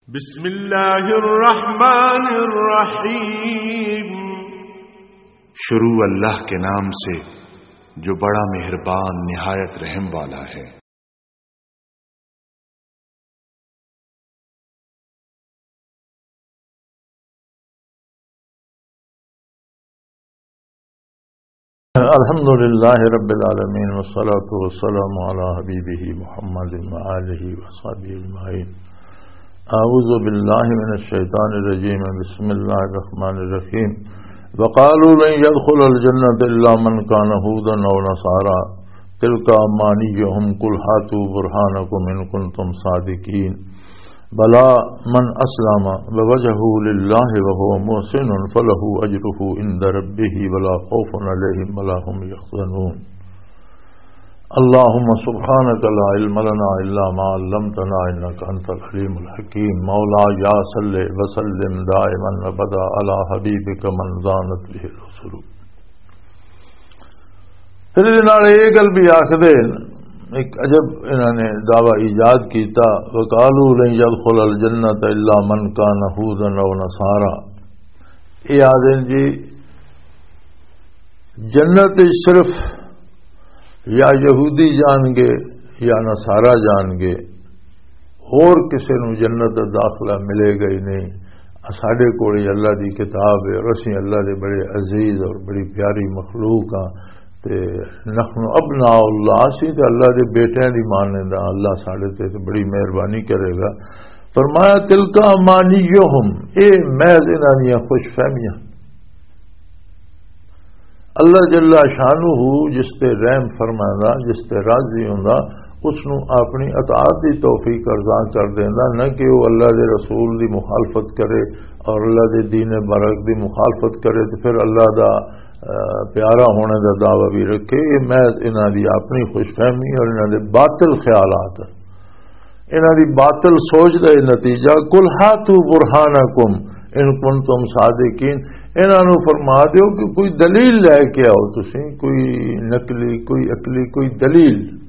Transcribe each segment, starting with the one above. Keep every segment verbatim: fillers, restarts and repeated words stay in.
بسم اللہ الرحمن الرحیم۔ شروع اللہ کے نام سے جو بڑا مہربان نہایت رحم والا ہے۔ الحمد لله رب العالمين، والصلاة والسلام على حبيبه محمد وآله وصحبه أجمعين. أعوذ بالله من الشيطان الرجيم. بسم الله الرحمن الرحيم. وقالوا لن يدخل الجنة إلا من كان هودا أو نصارى. تلك أمانيهم، قل هاتوا برهانكم إن كنتم صادقين. بلى من أسلم وجهه لله وهو محسن فله أجره عند ربه ولا خوف عليهم ولا هم يحزنون. اللهم سبحانك لا علم لنا إلا ما علمتنا إنك أنت العليم الحكيم. مولاي صل وسلم دائما أبدا على حبيبك من زانت به الرسل. پھر یہ نال یہ گل بھی آخدے، ایک عجب انہاں نے دعویٰ ایجاد کیتا، وقالوا لن يدخل الجنة إلا من كان هودا أو نصارى. یہ آدھے جی، جنت وچ صرف یا یہودی جان گے یا نصارہ جان گے، ہور کسے نوں جنت دا داخلہ ملے گا ہی نہیں۔ ساڈے کول ہی اللہ دی کتاب ہے اور اسی اللہ دے بڑے عزیز اور بڑی پیاری مخلوق ہاں۔ تے نحن ابناء اللہ، اسی تے اللہ دے بیٹیاں دی ماننے دا، اللہ ساڈے تے تے بڑی مہربانی کرے گا۔ فرمایا، تلک امانیہم، اے محض انہاں دیاں خوش فہمیاں۔ اللہ جل شانہ جس تے رحم فرماندا، جس تے راضی ہوندا، اس نوں اپنی اطاعت دی توفیق ارزاں کر دیندا، نہ کہ وہ اللہ دے رسول دی مخالفت کرے اور اللہ دے دین برحق دی مخالفت کرے تے پھر اللہ دا، آ، پیارا ہونے دا دعویٰ بھی رکھے۔ یہ محض انہاں دی اپنی خوش فہمی اور انہاں دے باطل خیالات۔ انہاں دی باطل سوچ دا یہ نتیجہ، قل هاتوا برهانكم إن كنتم صادقين، انہاں نوں فرما دیو کہ کوئی دلیل لے کے آؤ تسی، کوئی نقلی، کوئی عقلی، کوئی دلیل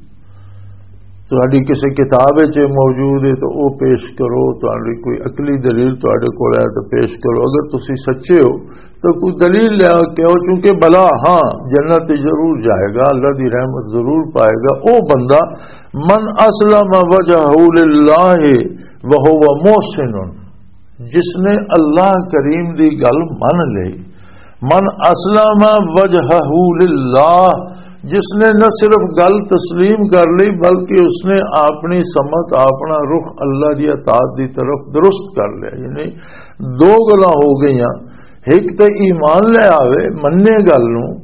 تہاڈی کسے کتاب وچ موجود ہے تو او پیش کرو، تہاڈی کوئی عقلی دلیل تہاڈے کول ہے تو پیش کرو، اگر تسی سچے ہو تو کوئی دلیل لے کے آؤ، چونکہ بلا، ہاں، جنت ضرور جائے گا، اللہ دی رحمت ضرور پائے گا او بندہ، من اسلم وجهه لله وهو محسن، جس نے اللہ کریم دی گل من لئی، من اسلم وجهه لله، جس نے نہ صرف گل تسلیم کر لی بلکہ اس نے اپنی سمت، اپنا رخ اللہ دی اطاعت دی طرف درست کر لیا۔ یعنی دو گلاں ہو گئیاں، ایک تے ایمان لے آوے، منے گل نوں،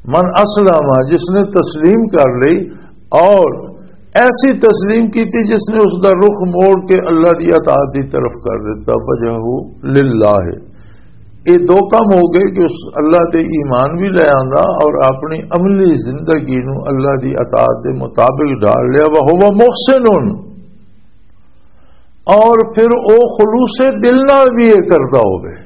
من اسلم، جس نے تسلیم کر لی، اور ایسی تسلیم کی تھی جس نے اس دا رخ موڑ کے اللہ دی اطاعت دی طرف کر دیتا، وجهه لله۔ یہ دو کام ہو گئے کہ اس اللہ تے ایمان بھی لے آندا اور اپنی عملی زندگی نو اللہ دی اطاعت دے مطابق ڈھال لیا، وهو محسن، اور پھر او خلوص دل نال بھی یہ کردا ہوے۔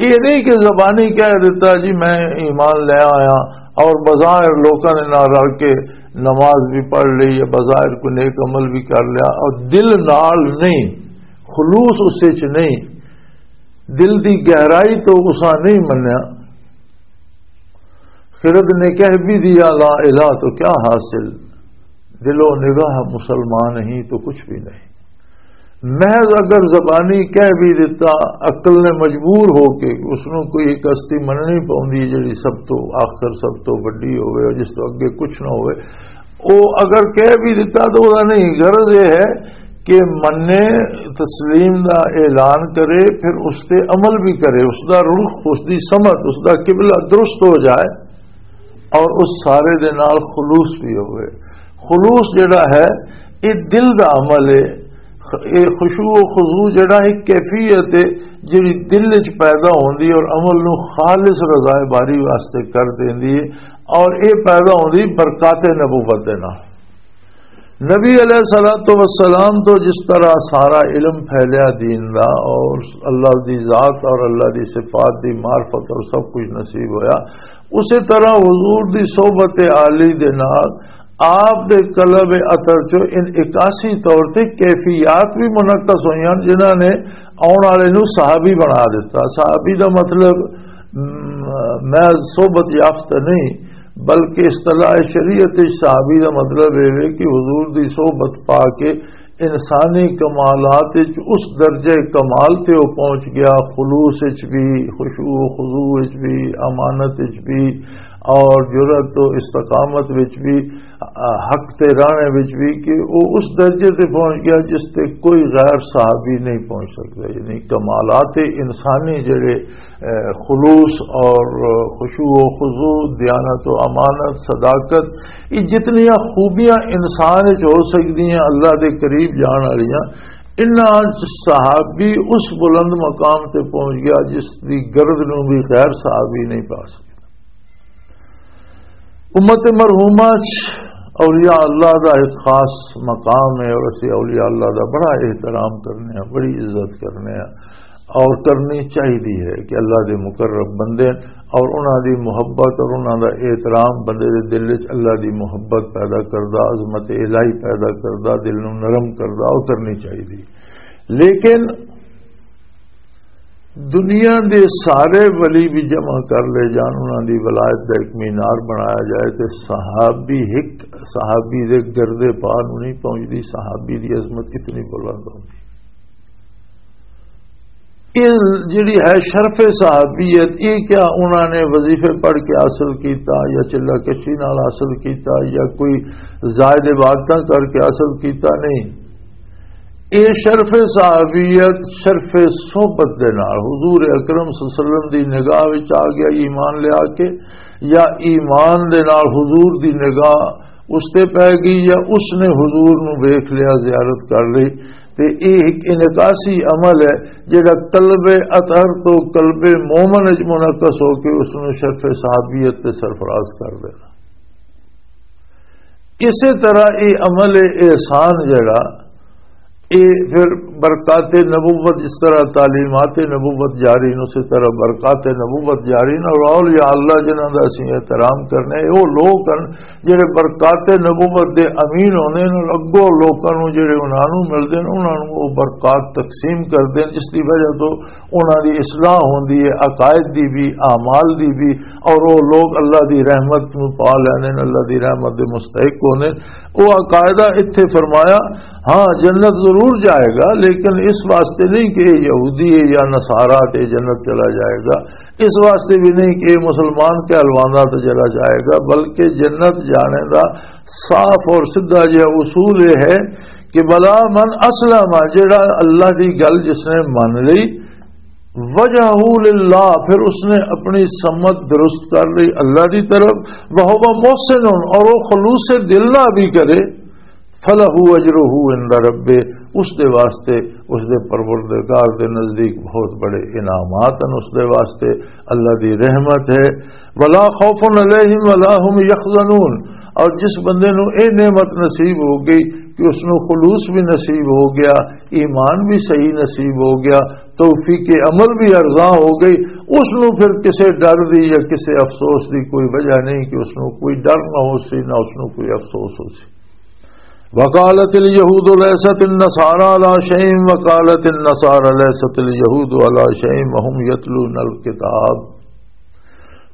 یہ نہیں کہ زبانی کہہ دیتا، "جی میں ایمان لے آیا"، اور بظاہر لوکاں دے نال رل کے نماز بھی پڑھ لی یا بظاہر کوئی نیک عمل بھی کر لیا، اور دل نال نہیں، خلوص اس وچ نہیں، دل دی گہرائی تو اساں نہیں منیا۔ خرد نے کہہ بھی دیا لا الہ تو کیا حاصل، دل و نگاہ مسلمان ہی تو کچھ بھی نہیں۔ محض اگر زبانی کہہ بھی دیتا، عقل نے مجبور ہو کے اس نوں کوئی ایک ہستی مننی پوندی ہے جڑی سب تو آخر، سب تو وڈی ہوئے اور جس تو اگے کچھ نہ ہوئے، او اگر کہہ بھی دیتا تو وہ نہیں، غرض یہ ہے کہ منے، تسلیم دا اعلان کرے، پھر اس تے عمل بھی کرے، اس دا رخ، اس دی سمت، اس دا قبلہ درست ہو جائے اور اس سارے دے نال خلوص بھی ہوئے۔ خلوص جڑا ہے، یہ دل دا عمل ہے۔ خ-، یہ خشوع و خضوع جڑا ایک کیفیت ہے جڑی دل وچ پیدا ہوندی اور عمل نو خالص رضائے باری واسطے کر دیندی ہے، اور یہ پیدا ہوندی برکات نبوت دے نال۔ نبی علیہ الصلوۃ والسلام تو جس طرح سارا علم پھیلیا دین دا اور اللہ دی ذات اور اللہ دی صفات دی معرفت اور سب کچھ نصیب ہویا، اسی طرح حضور دی صحبت عالی دے نال آپ دے قلب اطہر چوں ان عکاسی طور تے کیفیات بھی منعکس ہوئیاں، جنہاں نے آؤن والے نوں صحابی بنا دیتا۔ صحابی دا مطلب، م، محض صحبت یافتہ نہیں، بلکہ اصطلاح شریعت وچ صحابی دا مطلب اے وے کہ حضور دی صحبت پا کے انسانی کمالات وچ اس درجے کمال تے وہ پہنچ گیا، خلوص وچ بھی، خشوع و خضوع وچ بھی، امانت وچ بھی، اور جرأت و استقامت وچ بھی، آ، حق تے رانے وچ بھی، کہ وہ اس درجے تے پہنچ گیا جس تے کوئی غیر صحابی نہیں پہنچ سکتا۔ یعنی کمالات انسانی جڑے، اے، خلوص اور خشوع و خضوع، دیانت و امانت، صداقت، یہ جتنیاں خوبیاں انسان وچ ہو سکدی ہیں اللہ دے قریب جان والیاں، انہاں وچ صحابی اس بلند مقام تے پہنچ گیا جس دی گرد نوں بھی غیر صحابی نہیں پا سکتا۔ امت مرحومہ چ اولیاء اللہ دا ایک خاص مقام ہے، اور اسی اولیاء اللہ دا بڑا احترام کرنے ہیں، بڑی عزت کرنے ہیں، اور کرنی چاہیے ہے کہ اللہ دے مقرب بندے اور انہاں دی محبت اور انہاں دا احترام بندے دے دل وچ اللہ دی محبت پیدا کردا، عظمت الہی پیدا کردا، دل نوں نرم کردا، اور کرنی چاہیے۔ لیکن دنیا دے سارے ولی بھی جمع کر لے جان، انہاں دی ولایت دا ایک مینار بنایا جائے تے صحابی، ایک صحابی دے گردے پا نوں نہیں پہنچدی، صحابی دی عظمت اتنی بلند ہوندی۔ یہ جڑی ہے شرف صحابیت، یہ کیا انہاں نے وظیفے پڑھ کے حاصل کیتا یا چلہ کشی نال حاصل کیتا یا کوئی زائد عبادتاں کر کے حاصل کیتا؟ نہیں۔ اے شرف صحابیت شرف صحبت دے نال حضور اکرم صلی اللہ علیہ وسلم دی نگاہ وچ آ گیا، ایمان لیا کے، یا ایمان دے نال حضور دی نگاہ اس تے پے گئی، یا اس نے حضور نو ویکھ لیا، زیارت کر لی۔ تے اے ایک انعکاسی عمل ہے جڑا قلب اطہر تو قلب مومن وچ منعکس ہو کے اس نو شرف صحابیت تے سرفراز کر دینا۔ اسی طرح یہ عمل احسان جڑا، یہ پھر برکات نبوت، جس طرح تعلیمات نبوت جاری نے، اسی طرح برکات نبوت جاری نے۔ اور اولیاء اللہ جنہاں دا اسی احترام کرنے، وہ لوگ ہیں جڑے برکات نبوت دے امین ہوندے نے، اور اگوں لوکاں نوں جڑے انہاں نوں ملدے نے، انہاں نوں وہ برکات تقسیم کردے نے، جس دی وجہ تو انہاں دی اصلاح ہوندی ہے، عقائد دی بھی، اعمال دی بھی، اور وہ لوگ اللہ دی رحمت نوں پا لیندے نے، اللہ دی رحمت دے مستحق ہوندے نے۔ وہ عقائدہ اتھے فرمایا، ہاں، جنت ضرور جائے گا، لیکن اس واسطے نہیں کہ یہ یہودی ہے یا نصارہ تے جنت چلا جائے گا، اس واسطے بھی نہیں کہ یہ مسلمان کہلوانا تے چلا جائے گا، بلکہ جنت جانے دا صاف اور سیدھا جہا اصول یہ ہے کہ بلا من اسلم، جڑا اللہ دی گل جس نے من لی، وجہہ للہ، پھر اس نے اپنی سمت درست کر لی اللہ دی طرف، وہو محسن، اور وہ خلوص دل نہ بھی کرے، فلہ اجرہ عند ربہ، اس دے واسطے، اس دے پروردگار دے نزدیک بہت بڑے انعامات ہیں اس دے واسطے، اللہ دی رحمت ہے۔ ولا خوف علیہم ولا هم یحزنون، اور جس بندے نو اے نعمت نصیب ہو گئی کہ اس نو خلوص بھی نصیب ہو گیا، ایمان بھی صحیح نصیب ہو گیا، توفیق عمل بھی ارزاں ہو گئی، اس نو پھر کسے ڈر دی یا کسے افسوس دی کوئی وجہ نہیں کہ اس نو کوئی ڈر نہ ہو سی، نہ اس نو کوئی افسوس ہو سی۔ وقالت اليهود ليست النصارى على شيء وقالت النصارى ليست اليهود على شيء وهم يتلون الكتاب۔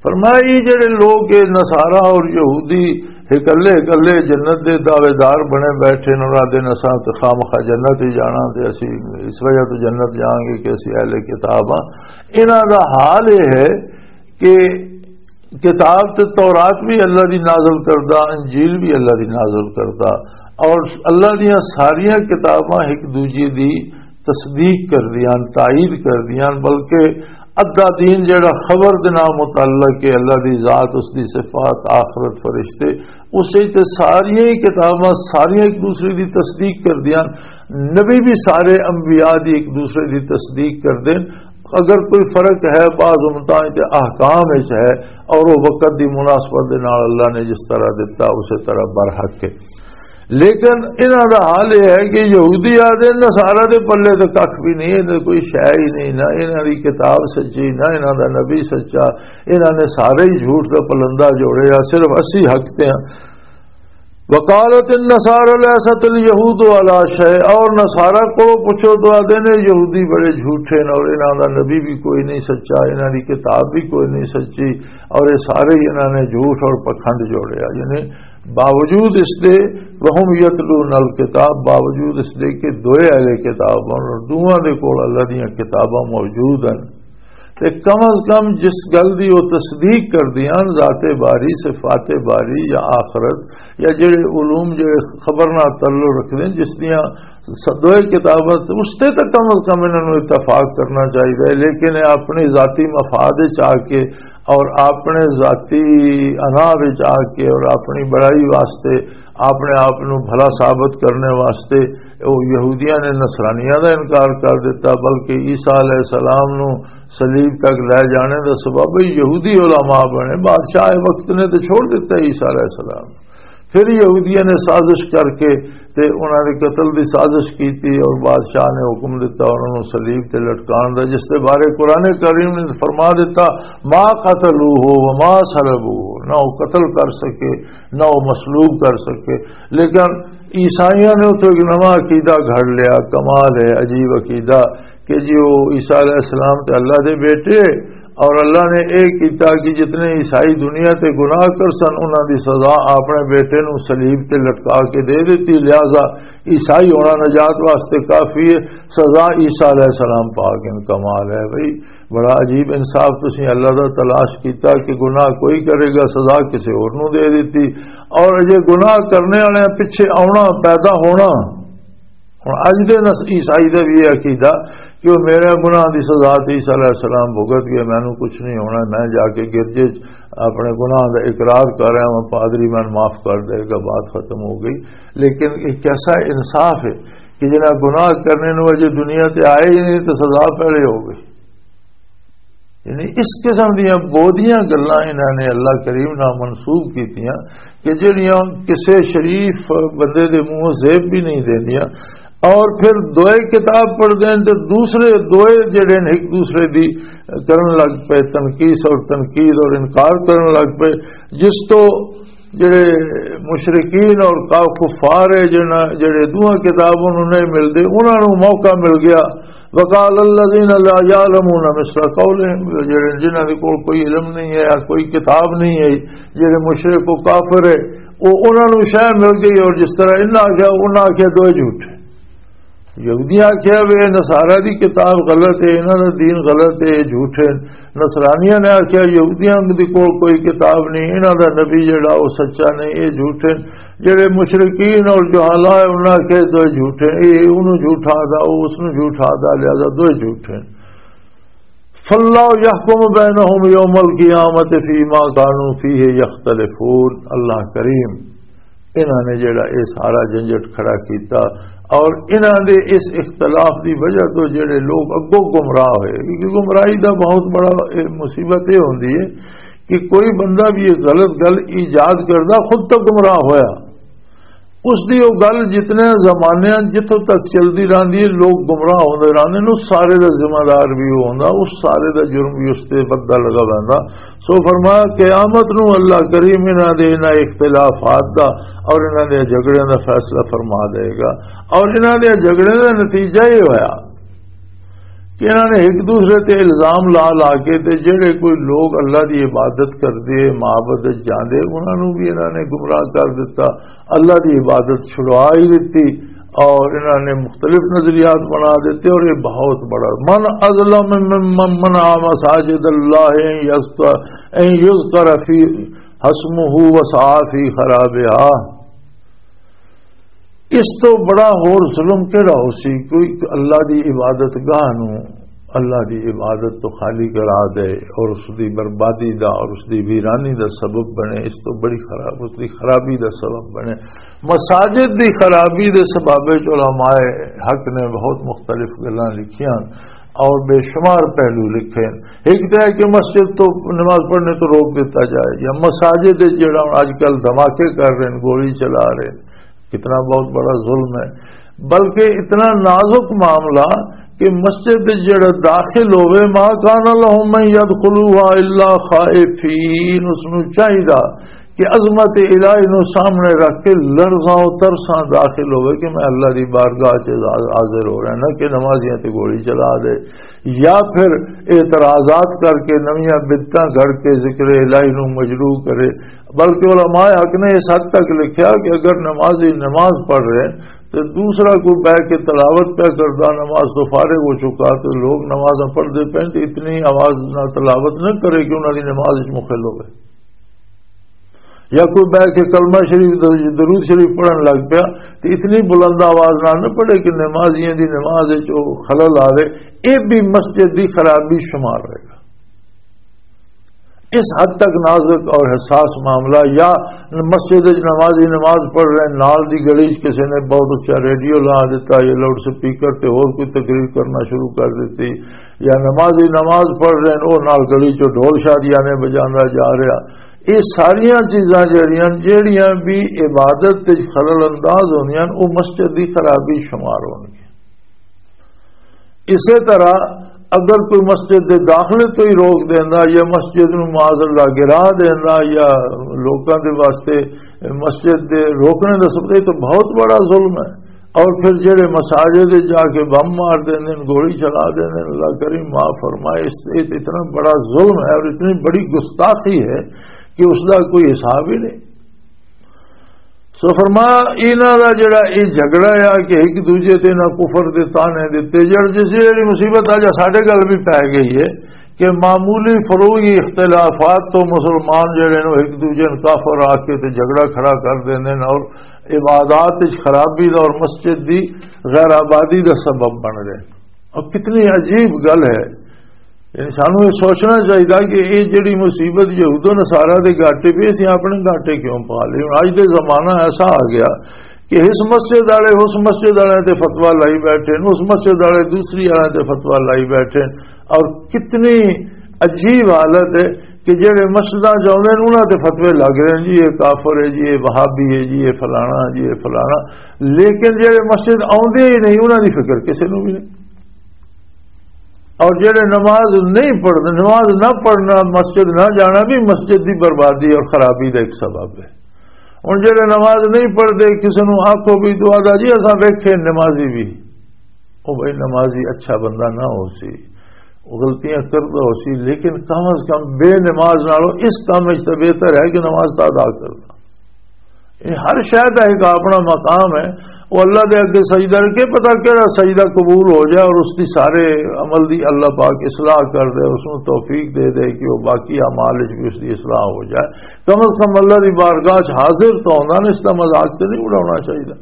فرمایا، یہ جڑے لوگ، یہ نصارہ اور یہودی، اکلے اکلے جنت دے دعوے دار بنے بیٹھے نے، اور آدھے نے، "اساں تے خامخواہ جنت ہی جانا، تے اسی اس وجہ تو جنت جاؤں گے کہ اسی اہل کتاب ہاں۔" انہاں دا حال یہ ہے کہ کتاب تے تورات بھی اللہ دی نازل کردہ، انجیل بھی اللہ دی نازل کردہ، اور اللہ دیاں ساریاں کتاباں ایک دوجے دی تصدیق کردیاں، تائید کردیاں، بلکہ ادھا دین جڑا خبر دے نال متعلق ہے، اللہ دی ذات، اس دی صفات، آخرت، فرشتے، اسے تے ساریاں ہی کتاباں، ساریاں ایک دوسرے دی تصدیق کردیاں، نبی بھی سارے انبیاء دی ایک دوسرے دی تصدیق کردے۔ اگر کوئی فرق ہے، بعض امتاں تے احکام وچ ہے، اور وہ وقت دی مناسبت دے نال اللہ نے جس طرح دتا، اسے طرح برحق ہے۔ لیکن انہاں دا حال یہ ہے کہ یہودی آدھے نصارہ دے پلے تے کھ بھی نہیں، انہاں دی کوئی شے ہی نہیں، نہ انہاں دی کتاب سچی، نہ انہاں دا نبی سچا، انہاں نے سارے ہی جھوٹ دا پلندہ جوڑیا، صرف اسی حق تے ہاں۔ وقالت النصارى ليست اليهود على شيء، اور نصارا کو پوچھو تو آتے نے یہودی بڑے جھوٹے نے، اور انہاں دا نبی بھی کوئی نہیں سچا، انہاں دی کتاب بھی کوئی نہیں سچی، اور یہ سارے ہی انہاں نے جھوٹ اور پکھنڈ جوڑیا۔ یعنی باوجود اس دے، وهم يتلون الكتاب، باوجود اس دے کہ دوئے اہل کتاب ہن اور دوواں دے کول اللہ دیاں کتاباں موجود ہن، تے کم از کم جس گل دی وہ تصدیق کردیاں ہن، ذات باری، صفات باری یا آخرت یا جڑے علوم جڑے خبر نال تعلق رکھدے ہن، جس دیاں س-، دوئے کتاباں تے، اس تے تاں کم از کم انہاں نوں اتفاق کرنا چاہیدا ہے، لیکن یہ اپنی ذاتی مفاد وچ آ کے اور اپنے ذاتی انا وچ آ کے اور اپنی بڑائی واسطے، اپنے آپ نوں بھلا ثابت کرنے واسطے وہ یہودیاں نے نصرانیاں دا انکار کر دتا، بلکہ عیسیٰ علیہ السلام نوں صلیب تک لے جانے دا سبب یہودی علماء بنے۔ بادشاہ وقت نے تے چھوڑ دتا عیسیٰ علیہ السلام۔ پھر یہودیاں نے سازش کر کے تے انہاں دے قتل دی سازش کیتی اور بادشاہ نے حکم دتا انہاں نوں صلیب تے لٹکان دا، جس دے بارے قرآن کریم نے فرما دتا، "ما قتلوہ وما صلبوہ"، نہ وہ قتل کر سکے، نہ وہ مصلوب کر سکے۔ لیکن عیسائیاں نے اتھوں ایک نواں عقیدہ گھڑ لیا، کمال ہے، عجیب عقیدہ، کہ جی وہ عیسیٰ علیہ السلام تے اللہ دے بیٹے، اور اللہ نے اے کیتا کہ جتنے عیسائی دنیا تے گناہ کر سن، انہاں دی سزا اپنے بیٹے نوں صلیب تے لٹکا کے دے دتی، لہذا عیسائی ہونا نجات واسطے کافی ہے۔ سزا عیسیٰ علیہ السلام پا گئے۔ کمال ہے بھئی، بڑا عجیب انصاف۔ تسی اللہ دا تلاش کیتا کہ گناہ کوئی کرے گا، سزا کسے اور نوں دے دتی، اور اجے گناہ کرنے والے پیچھے آونا، پیدا ہونا۔ ہن اج دے نس-، عیسائی دا بھی یہ عقیدہ کہ وہ میرے گناہ دی سزا تے عیسیٰ علیہ السلام بھگت گئے، مینوں کچھ نہیں ہونا، میں جا کے گرجے چ اپنے گناہ دا اقرار کر رہا ہوں، پادری مینوں معاف کر دے گا، بات ختم ہو گئی۔ لیکن یہ کیسا انصاف ہے کہ جنہاں گناہ کرنے نوں اجے دنیا تے آئے ہی نہیں تے سزا پہلے ہو گئی۔ یعنی اس قسم دیاں بودیاں گلاں انہاں نے اللہ کریم نال منسوب کیتیاں کہ جڑیاں کسے شریف بندے دے منہوں زیب بھی نہیں دیندیاں۔ اور پھر دوئے کتاب پڑھ دین تے دوسرے دوئے جڑے نے ایک دوسرے دی کرن لگ پئے، تنقیص اور تنقید اور انکار کرن لگ پئے، جس تو جڑے مشرکین اور کا-، کفار ہے، جنہاں، جڑے دوہاں کتاب انہوں نہیں ملدے، انہاں نوں موقع مل گیا۔ وقال الذين لا يعلمون مثل قولهم، جڑے، جنہاں دے کول کوئی علم نہیں ہے یا کوئی کتاب نہیں ہے، جڑے مشرک و کافر ہے، وہ انہاں نوں شے مل گئی، اور جس طرح انہاں آکھیا، انہاں آکھیا دوئے جھوٹ۔ یہودیاں آکھیا وے نصارہ دی کتاب غلط ہے، انہاں دا دین غلط ہے، یہ جھوٹ ہے۔ نصرانیاں نے آکھیا یہودیاں دے کول کوئی کتاب نہیں، انہاں دا نبی جڑا وہ سچا نہیں، یہ جھوٹ ہے۔ جڑے مشرکین اور جہالا ہے، انہاں آکھیا دوئے جھوٹ ہے، یہ انہوں جھوٹا دا، وہ اس نوں جھوٹا دا، لہذا دوئے جھوٹ ہے۔ فاللہ یحکم بینہم یوم القیامت فیما کانوا فیہ یختلفون۔ اللہ کریم انہاں نے جڑا اے سارا جھنجٹ کھڑا کیتا اور انہاں دے اس اختلاف دی وجہ تو جڑے لوگ اگوں گمراہ ہوئے، کیونکہ گمراہی دا بہت بڑا اے مصیبت اے ہوندی ہے کہ کوئی بندہ بھی یہ غلط گل ایجاد کردا خود تو گمراہ ہویا، اس دی وہ گل جتنے زمانے جتھوں تک چلدی رہندی ہے، لوگ گمراہ ہوندے رہندے نے، اس سارے دا ذمہ دار بھی وہ ہوندا، اس سارے دا جرم بھی اس تے بدل لگا ویندا۔ سو فرمایا، قیامت نو اللہ کریم انہاں دے انہاں اختلافات دا اور انہاں دے جھگڑیاں دا فیصلہ فرما دے گا۔ اور انہاں دے جھگڑیاں دا نتیجہ یہ ہویا کہ انہاں نے ایک دوسرے تے الزام لا لا کے تے جڑے کوئی لوگ اللہ دی عبادت کردے، معبد وچ جاندے، انہاں نو بھی انہاں نے گمراہ کر دتا، اللہ دی عبادت چھڑوا ہی دتی۔ اور انہاں نے مختلف نظریات بنا دیتے، اور یہ بہت بڑا، من اظلم ممن منع مساجد اللہ ان یذکر، ان یذکر فی اسمہ وسعی فی خرابہا۔ اس تو بڑا ہور ظلم کیڑا ہو سی؟ کوئی اللہ دی عبادت گاہ نو اللہ دی عبادت تو خالی کرا دے اور اس دی بربادی دا اور اس دی ویرانی دا سبب بنے، اس تو بڑی خراب، اس دی خرابی دا سبب بنے۔ مساجد دی خرابی دے سبب وچ علماء حق نے بہت مختلف گلاں لکھیاں اور بے شمار پہلو لکھے۔ ایک تو ہے کہ مسجد تو نماز پڑھنے تو روک دیتا جائے، یا مساجد وچ جڑا ہن اج کل دھماکے کر رہے ہیں، گولی چلا رہے ہیں، کتنا بہت بڑا ظلم ہے۔ بلکہ اتنا نازک معاملہ کہ مسجد وچ جڑا داخل ہوئے، ما کان لهم ان یدخلوها الا خائفین، اس نو چاہیدا کہ عظمت الہی نو سامنے رکھ کے لرزاں و ترساں داخل ہوئے کہ میں اللہ دی بارگاہ چ حاضر ہو رہا، نہ کہ نمازیاں تے گولی چلا دے، یا پھر اعتراضات کر کے نویاں بدعتاں گھڑ کے ذکر الہی نو مجروح کرے۔ بلکہ علماء حق نے اس حد تک لکھیا کہ اگر نمازی نماز پڑھ رہے ہیں تو دوسرا کوئی بہ کے تلاوت پہ کردا، نماز تو فارغ ہو چکا، تو لوگ نمازاں پڑھدے پئے تو اتنی آواز نہ تلاوت نہ کرے کہ انہاں دی نماز وچ مخل ہوئے۔ یا کوئی بہ کے کلمہ شریف، درود شریف پڑھن لگ پیا، تو اتنی بلند آواز نال نہ پڑھے کہ نمازیاں دی نماز وچ او خلل آوے۔ اے بھی مسجد دی خرابی شمار ہوئے گا۔ اس حد تک نازک اور حساس معاملہ۔ یا مسجد وچ نمازی نماز پڑھ رہے ہیں، نال دی گلی وچ کسی نے بہت اچا ریڈیو لا دیتا، یا لاؤڈ سپیکر تے ہور کوئی تقریر کرنا شروع کر دیتی، یا نمازی نماز پڑھ رہے ہیں، وہ نال گلی چ ڈھول شادیاں نے بجانا جا رہا۔ یہ ساریاں چیزاں جڑیاں، جڑیاں بھی عبادت وچ خلل انداز ہوندیاں، وہ مسجد دی خرابی شمار ہونگی۔ اسی طرح اگر کوئی مسجد دے داخلے تو ہی روک دیندا یا مسجد نو معاذ اللہ گرا دیندا یا لوکاں دے واسطے مسجد دے روکنے دا سبب، یہ تو بہت بڑا ظلم ہے۔ اور پھر جڑے مساجد جا کے بم مار دیندے نے، گولی چلا دیندے نے، اللہ کریم معاف فرمائے، اس، یہ تو اتنا بڑا ظلم ہے اور اتنی بڑی گستاخی ہے کہ اس دا کوئی حساب ہی نہیں۔ سو فرمایا، انہاں دا جڑا یہ جھگڑا ہے کہ ایک دوجے تے نہ کفر دے تانے دتے، جڑ جس جڑی مصیبت آ جا ساڈے گل بھی پی گئی ہے کہ معمولی فروعی اختلافات تو مسلمان جڑے نے ایک دوجے نوں کافر آ کے تے جھگڑا کھڑا کر دیندے نے اور عبادات وچ خرابی دا اور مسجد دی غیر آبادی دا سبب بن رہے۔ اور کتنی عجیب گل ہے، یعنی سانوں یہ سوچنا چاہیے کہ یہ جڑی مصیبت یہود و نصارہ دے گاٹے پہ، اسی اپنے گاٹے کیوں پا لئی؟ ہن اج دے زمانہ ایسا آ گیا کہ اس مسجد والے اس مسجد والے تے فتویٰ لائی بیٹھے نے، اس مسجد والے دوسری والے تے فتویٰ لائی بیٹھے نے، اور کتنی عجیب حالت ہے کہ جڑے مسجداں چ آؤندے نے، انہاں تے فتوے لگ رہے ہیں، جی یہ کافر ہے، جی یہ وہابی ہے، جی یہ فلانا، جی یہ فلانا، لیکن جڑے مسجد آؤندے ہی نہیں، انہاں دی فکر کسے نوں بھی نہیں۔ اور جڑے نماز نہیں پڑھتے، نماز نہ پڑھنا، مسجد نہ جانا بھی مسجد دی بربادی اور خرابی دا ایک سبب ہے۔ ہن جڑے نماز نہیں پڑھتے، کسے نوں آکھو بھی تو آہدا جی اساں ویکھے نمازی بھی، او بھائی نمازی اچھا بندہ نہ ہو سی، او غلطیاں کردا ہو سی، لیکن کم از کم بے نماز نالوں اس کام وچ تے بہتر ہے کہ نماز تا ادا کرنا۔ یہ ہر شے دا ایک اپنا مقام ہے۔ وہ اللہ دے اگے سجدہ رکھے، پتہ کہڑا سجدہ قبول ہو جائے اور اس دی سارے عمل دی اللہ پاک اصلاح کر دے، اس نوں توفیق دے دے کہ وہ باقی اعمال وچ بھی اس دی اصلاح ہو جائے۔ کم از کم اللہ دی بارگاہ وچ حاضر تو ہونا نا، اس دا مذاق تے نہیں اڑانا چاہیے،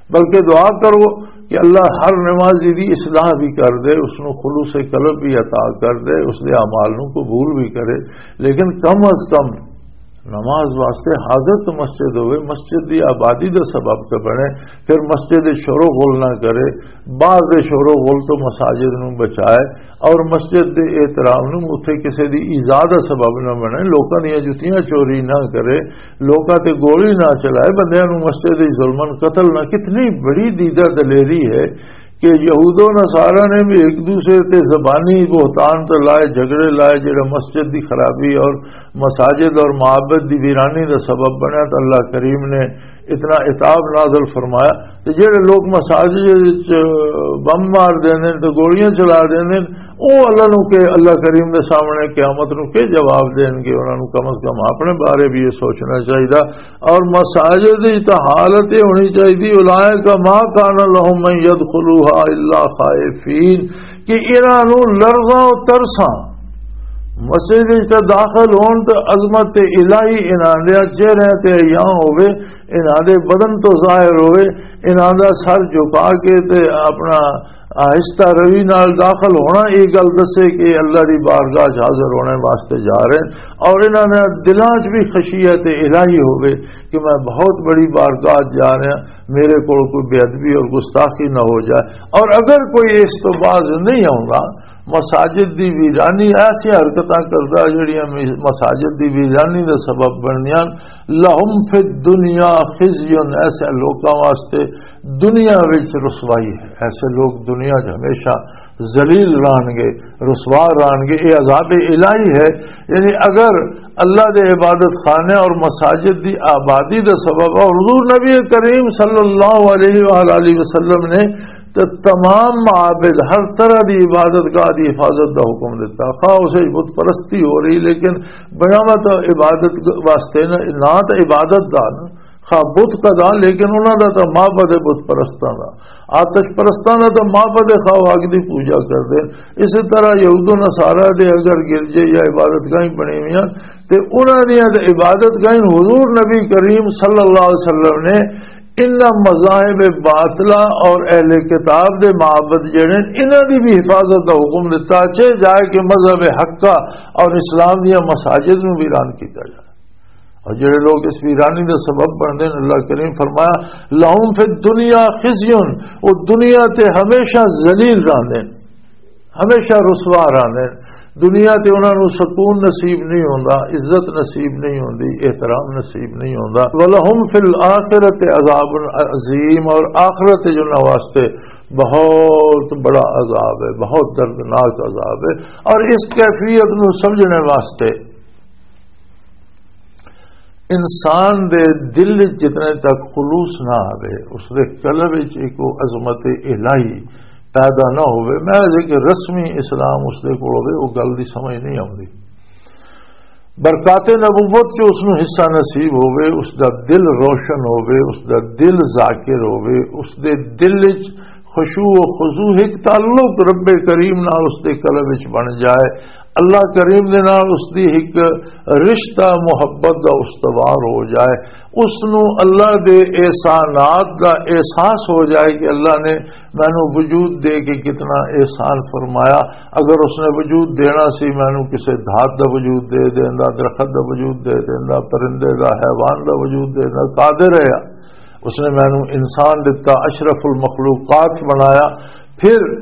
بلکہ دعا کرو کہ اللہ ہر نمازی دی اصلاح بھی کر دے، اس نوں خلوص قلب بھی عطا کر دے، اس دے اعمال نوں قبول بھی کرے۔ لیکن کم از کم نماز واسطے حاضر تو مسجد ہوئے، مسجد دی آبادی دا سبب تے بنے، پھر مسجد دے شور و غل نہ کرے، باہر دے شور و غل تو مساجد نوں بچائے، اور مسجد دے احترام نوں اتھے کسے دی ایذا دا سبب نہ بنے، لوکاں دیاں جتیاں چوری نہ کرے، لوکاں تے گولی نہ چلائے، بندیاں نوں مسجد وچ ظلمن قتل نہ۔ کتنی بڑی دیدہ دلیری ہے کہ یہود و نصارہ نے بھی ایک دوسرے تے زبانی بہتان تے لائے، جھگڑے لائے، جڑا مسجد دی خرابی اور مساجد اور معابد دی ویرانی دا سبب بنیا، تو اللہ کریم نے اتنا عتاب نازل فرمایا۔ تے جڑے لوگ مساجد وچ بم مار دیندے نے تے گولیاں چلا دیندے نے، او اللہ نو کہ، اللہ کریم دے سامنے قیامت نو کہ جواب دین گے؟ انہاں نو کم از کم اپنے بارے بھی یہ سوچنا چاہیے۔ اور مساجد دی تو حالت یہ ہونی چاہیے، اولئک ما کان لهم ان یدخلوها الا خائفین، کہ انہاں نو لرزاں و ترساں مسجد وچ تے داخل ہون تے عظمت الہی انہاں دے چہرے تے عیاں ہوے، انہاں دے بدن تو ظاہر ہوے، انہاں دا سر جھکا کے تے اپنا آہستہ روی نال داخل ہونا، یہ گل دسے کہ اللہ دی بارگاہ چ حاضر ہونے واسطے جا رہے ہیں، اور انہاں نے دلاں چ بھی خشیت الہی ہوے کہ میں بہت بڑی بارگاہ چ جا رہا، میرے کول کوئی بے ادبی اور گستاخی نہ ہو جائے۔ اور اگر کوئی اس تو باز نہیں آؤندا مساجد دی ویرانی، ایسی حرکتاں کردا جڑیاں می-، مساجد دی ویرانی دا سبب بندیاں۔ لہم فی الدنیا خزی، ایسے لوکاں واسطے دنیا وچ رسوائی ہے۔ ایسے لوگ دنیا 'چ ہمیشہ ذلیل رہن گے، رسوا رہن گے۔ یہ عذاب الہی ہے۔ یعنی اگر اللہ دے عبادت خانے اور مساجد دی آبادی دا سبب ہے، اور حضور نبی کریم صلی اللہ علیہ وآلہ وسلم نے تے تمام معابد، ہر طرح دی عبادت گاہ دی حفاظت دا حکم دتا۔ خواہ اسے بت پرستی ہو رہی، لیکن بناوت عبادت واسطے نہ، نہ تے عبادت دا نہ، خواہ بت کا دا، لیکن انہاں دا تے معبد بت پرستاں دا، آتش پرستاں دا تے معبد، خواہ اگ دی پوجا کردے۔ اسی طرح یہود و نصارہ دے اگر گرجے یا عبادت گاہیں بنی ہوئی ہیں، تے انہاں دیاں تے عبادت گاہیں، حضور نبی کریم صلی اللہ علیہ وسلم نے انہاں مذاہب باطلہ اور اہل کتاب دے معبد جڑے نے، انہاں دی بھی حفاظت دا حکم دتا، چاہے جائے کہ مذہب حق کا اور اسلام دیاں مساجد نوں ویران کیتا جائے۔ اور جڑے لوگ اس ویرانی دا سبب بنتے ہیں، اللہ کریم فرمایا، "لہم فی الدنیا خزی"، وہ دنیا تے ہمیشہ ذلیل رہندے ہیں، ہمیشہ رسوا رہندے ہیں۔ دنیا تے انہاں نوں سکون نصیب نہیں ہوندا، عزت نصیب نہیں ہوندی، احترام نصیب نہیں ہوندا۔ "ولہم فی الآخرۃ عذاب عظیم"، اور آخرت جو انہاں واسطے بہت بڑا عذاب ہے، بہت دردناک عذاب ہے۔ اور اس کیفیت نوں سمجھنے واسطے انسان دے دل وچ جتنے تک خلوص نہ آوے، اس دے قلب وچ ایک وہ عظمت الہی پیدا نہ ہوئے، محض ایک رسمی اسلام اس دے کول ہوئے، وہ گل دی سمجھ نہیں آوندی۔ برکات نبوت چ اس نوں حصہ نصیب ہوئے، اس دا دل روشن ہوئے، اس دا دل ذاکر ہوئے، اس دے دل وچ خشوع و خضوع، ایک تعلق رب کریم نال اس دے قلب وچ بن جائے، اللہ کریم دے نال اس دی ایک رشتہ محبت دا استوار ہو جائے، اس نو اللہ دے احسانات دا احساس ہو جائے کہ اللہ نے مینوں وجود دے کے کتنا احسان فرمایا۔ اگر اس نے وجود دینا سی، مینوں کسے دھات دا وجود دے دیندا، درخت دا وجود دے دیندا، پرندے دا، حیوان دا وجود دے دیندا، قادر ہے۔ اس نے مینوں انسان دتا، اشرف المخلوقات بنایا۔ پھر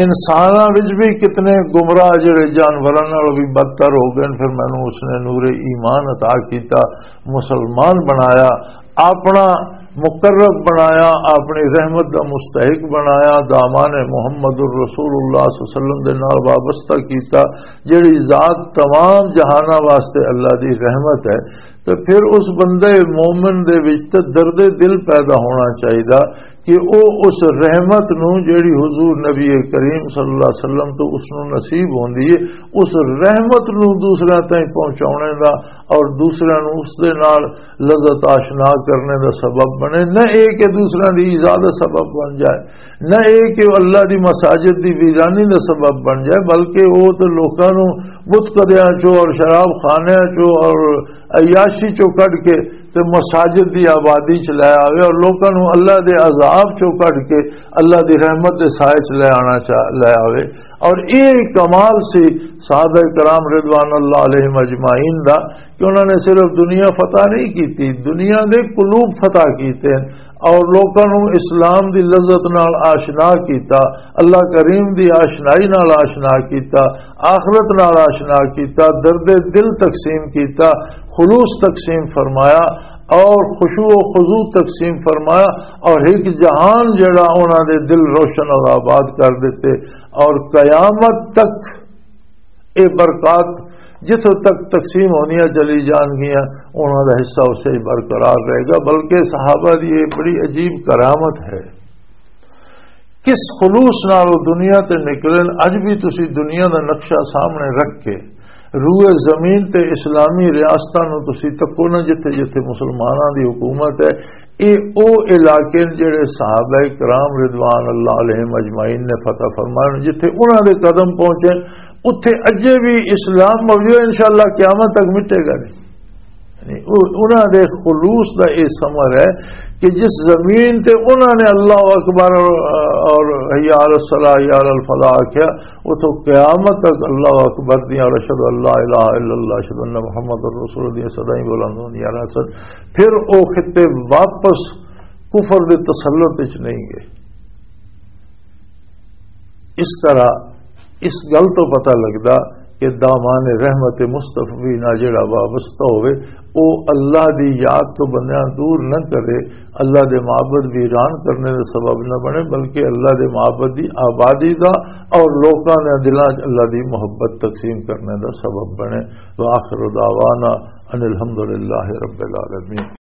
انساناں وچ بھی کتنے گمراہ جڑے جانوراں نال بھی بدتر ہو گئے، پھر مینوں اس نے نور ایمان عطا کیتا، مسلمان بنایا، اپنا مقرب بنایا، اپنی رحمت دا مستحق بنایا، دامان محمد الرسول اللہ صلی اللہ علیہ وسلم دے نال وابستہ کیتا، جڑی ذات تمام جہاناں واسطے اللہ دی رحمت ہے۔ تے پھر اس بندے مومن دے وچ تے درد دل پیدا ہونا چاہیدا کہ او اس رحمت نو، جڑی حضور نبی کریم صلی اللہ علیہ وسلم تو اس نو نصیب ہوندی ہے، اس رحمت نو دوسرے تائیں پہنچاونے دا اور دوسرے نو اس دے نال لذت آشنا کرنے دا سبب بنے۔ نہ اے کہ دوسرے دی ایذا دا سبب بن جائے، نہ اے کہ اللہ دی مساجد دی ویرانی دا سبب بن جائے، بلکہ او تے لوکاں نو بت کدیاں چوں اور شراب خانیاں چوں اور عیاشی چوں کڈ کے تے مساجد دی آبادی چ لے آوے اور لوکاں نوں اللہ دے عذاب چوں کڈ کے اللہ دی رحمت دے سائے چ لے آنا چا-، لے آوے۔ اور یہ کمال سی صحابہ کرام رضوان اللہ علیہم اجمعین دا کہ انہوں نے صرف دنیا فتح نہیں کیتی، دنیا دے قلوب فتح کیتے ہیں اور لوکاں نوں اسلام دی لذت نال آشنا کیتا، اللہ کریم دی آشنائی نال آشنا کیتا، آخرت نال آشنا کیتا، درد دل تقسیم کیتا، خلوص تقسیم فرمایا اور خشوع و خضوع تقسیم فرمایا اور ایک جہان جڑا انہاں دے دل روشن اور آباد کر دیتے اور قیامت تک اے برکات جتھوں تک تقسیم ہونیاں چلی جان گیاں، انہاں دا حصہ اسے ہی برقرار رہے گا۔ بلکہ صحابہ دی یہ بڑی عجیب کرامت ہے، کس خلوص نال وہ دنیا تے نکلن۔ اج بھی تسی دنیا دا نقشہ سامنے رکھ کے روئے زمین تے اسلامی ریاستاں نو تسی تکو نہ، جتھے جتھے مسلماناں دی حکومت ہے، اے او علاقے نے جڑے صحابہ کرام رضوان اللہ علیہم اجمعین نے فتح فرمائے، جتھے انہاں دے قدم پہنچے، اتھے اجے بھی اسلام موجود ہے، انشاءاللہ قیامت تک مٹے گا نہیں۔ یعنی او-، انہاں دے خلوص دا اے ثمر ہے کہ جس زمین تے انہاں نے اللہ اکبر اور حی علی الصلاح، حی علی الفلاح آکھیا، اتھوں قیامت تک اللہ اکبر دیاں اور اشہد ان لا الہ الا اللہ، اشہد ان محمد رسول اللہ دیاں صدائیں بلند ہوندیاں رہسن۔ پھر او خطے واپس کفر دے تسلط وچ نہیں گئے۔ اس طرح اس گل تو پتہ لگدا کہ دامان رحمت مصطفی نال جڑا وابستہ ہوئے، او اللہ دی یاد تو بندیاں دور نہ کرے، اللہ دے معبد ویران کرنے دا سبب نہ بنے، بلکہ اللہ دے معبد دی آبادی دا اور لوکاں دے دلاں 'چ اللہ دی محبت تقسیم کرنے دا سبب بنے۔ وآخر دعوانا ان الحمد للہ رب العالمین۔